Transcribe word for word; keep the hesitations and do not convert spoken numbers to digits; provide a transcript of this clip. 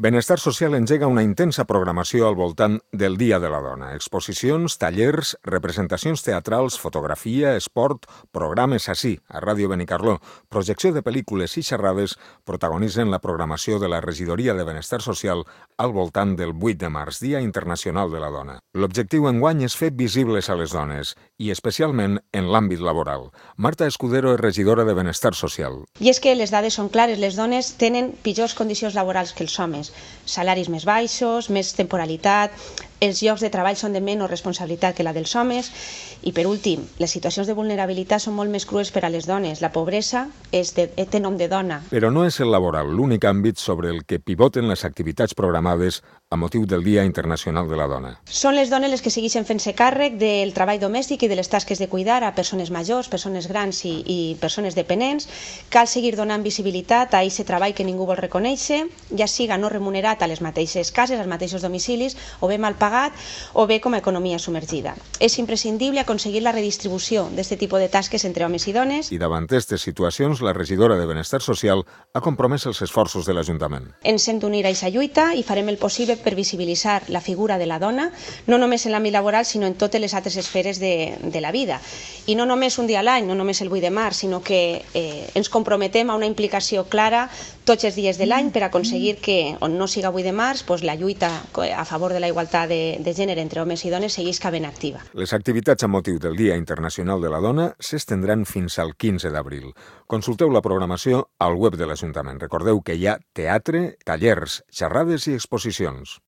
Benestar Social engega una intensa programació al voltant del Dia de la Dona. Exposicions, tallers, representacions teatrals, fotografia, esport, programes així, a Ràdio Benicarló, projecció de pel·lícules i xerrades protagonitzen la programació de la Regidoria de Benestar Social al voltant del vuit de març, Dia Internacional de la Dona. L'objectiu enguany és fer visibles a les dones, i especialment en l'àmbit laboral. Marta Escudero és regidora de Benestar Social. I és que les dades són clares, les dones tenen pitjors condicions laborals que els homes. Salaris més baixos, més temporalitat, els llocs de treball són de menys responsabilitat que la dels homes i, per últim, les situacions de vulnerabilitat són molt més crues per a les dones. La pobresa és de, té nom de dona. Però no és el laboral l'únic àmbit sobre el que pivoten les activitats programades a motiu del Dia Internacional de la Dona. Són les dones les que segueixen fent-se càrrec del treball domèstic i de les tasques de cuidar a persones majors, persones grans i, i persones dependents. Cal seguir donant visibilitat a aquest treball que ningú vol reconèixer, ja siga no remunerat a les mateixes cases, als mateixos domicilis, o bé mal pagat, o bé com a economia submergida. És imprescindible aconseguir la redistribució d'aquest tipus de tasques entre homes i dones. I davant d'aquestes situacions, la regidora de Benestar Social ha compromès els esforços de l'Ajuntament. Ens hem d'unir a aquesta lluita i farem el possible per visibilitzar la figura de la dona, no només en l'àmbit laboral, sinó en totes les altres esferes de, de la vida. I no només un dia a l'any, no només el vuit de març, sinó que eh, ens comprometem a una implicació clara tots els dies de l'any per aconseguir que, on no siga vuit de març, doncs la lluita a favor de la igualtat de, de gènere entre homes i dones seguisca ben activa. Les activitats amb motiu del Dia Internacional de la Dona s'estendran fins al quinze d'abril. Consulteu la programació al web de l'Ajuntament. Recordeu que hi ha teatre, tallers, xerrades i exposicions.